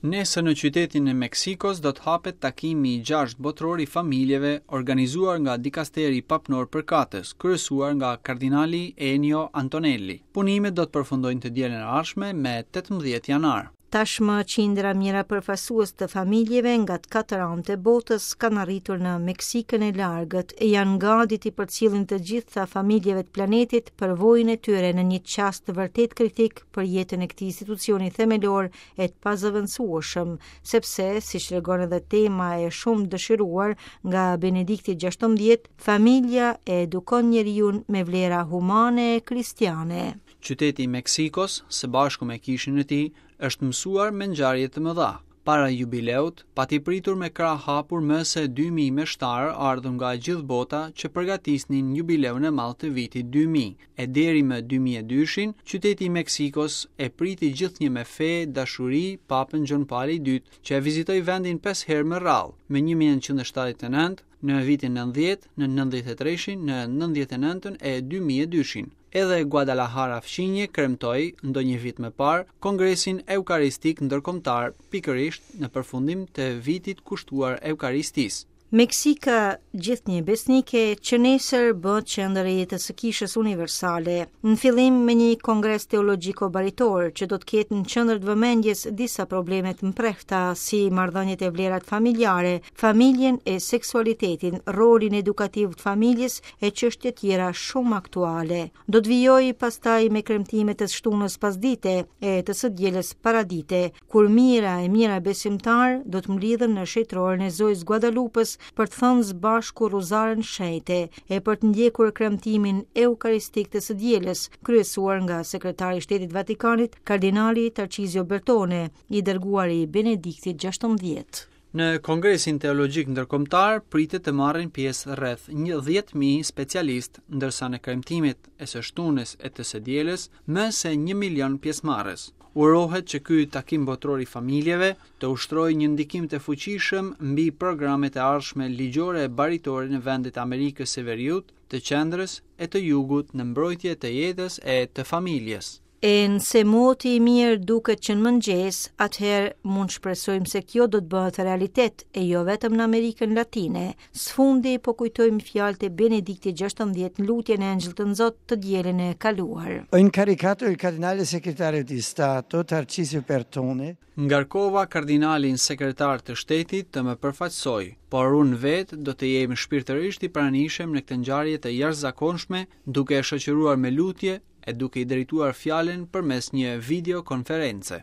Nesër në qytetin e Meksikos do të hapet takimi i gjashtë botëror i familjeve organizuar nga dikasteri papnor përkatës, kryesuar nga kardinali Ennio Antonelli. Punimet do të përfundojnë të dielën e ardhshme me 18 janar. Tashmë qindra mijëra përfaqësues të familjeve nga të katër anët e botës kanë arritur në Meksikën e largët e janë gati t'i përcjellin të gjitha familjeve të planetit përvojën e tyre në një çast vërtet kritik për jetën e këtij institucioni themelor e të pazëvendësueshëm, sepse, siç tregon edhe tema e shumë dëshiruar nga Benedikti XVI, familja e edukon njeriun me vlera humane e kristiane. Qyteti i Meksikos, së bashku me kishën e tij, është mësuar me ngjarje të mëdha. Para jubileut, pati pritur me krahë hapur më se 2000 meshtarë ardhur nga e gjithë bota që përgatisnin jubileun e madh të vitit 2000, e deri më 2002-shin, qyteti i Meksikos e priti gjithnjë me fe, dashuri, Papën Gjon Pali II, që e vizitoi vendin 5 herë me radhë, më 1979, në vitin 90, në 93-shin, në 99-ën e 2002-shin. Edhe Guadalajara fqinje kremtoi, ndonjë vit më parë, Kongresin Eukaristik Ndërkombëtar, pikërisht në përfundim të vitit kushtuar Eukaristisë. Meksika, gjithnjë besnike, që nesër bëhet qendër e jetës së Kishës Universale. Në fillim me një kongres teologjiko-baritor që do të ketë në qendër të vëmendjes disa probleme të mprehta si marrëdhëniet e vlerat familjare, familjen e seksualitetin, rolin edukativ të familjes e çështje tjera shumë aktuale. Do të vijojë pastaj me kremtimet e shtunës pasdite e të së dielës paradite, kur mijëra e mijëra besimtarë do të mblidhen në shenjtëroren e Zojës Guadalupës për të thënë së bashku Rruzaren Shenjte e për të ndjekur kremtimin eukaristik të së dielës, kryesuar nga sekretari i Shtetit të Vatikanit, kardinali Tarcizio Bertone, i dërguari i Benediktit XVI. Në Kongresin Teologjik Ndërkombëtar pritet të marrin pjesë rreth 10.000 specialistë, ndërsa në kremtimet e së shtunës e të së dielës më se 1 milion pjesëmarrës. Urohet që ky takim botëror i familjeve të ushtrojë një ndikim të fuqishëm mbi programet e ardhshme ligjore e baritore në vendet e Amerikës së Veriut, të Qendrës e të Jugut në mbrojtje të jetës e të familjes. E nëse moti i mirë duket që në mëngjes, atëherë mund shpresojmë se kjo do të bëhet realitet e jo vetëm në Amerikën Latine. Së fundi po kujtojmë fjalët e Benediktit XVI në lutjen e Engjëll të Nxotë të dielën e kaluar. Ho incaricato il cardinale segretario di Stato Tarcisio Bertone Ngarkova kardinalin sekretar të shtetit të më përfaqësojë, por unë vetë do të jem shpirtërisht i pranishëm në këtë ngjarje të jashtëzakonshme duke e shoqëruar me lutje e duke i drejtuar fjalën përmes një videokonference.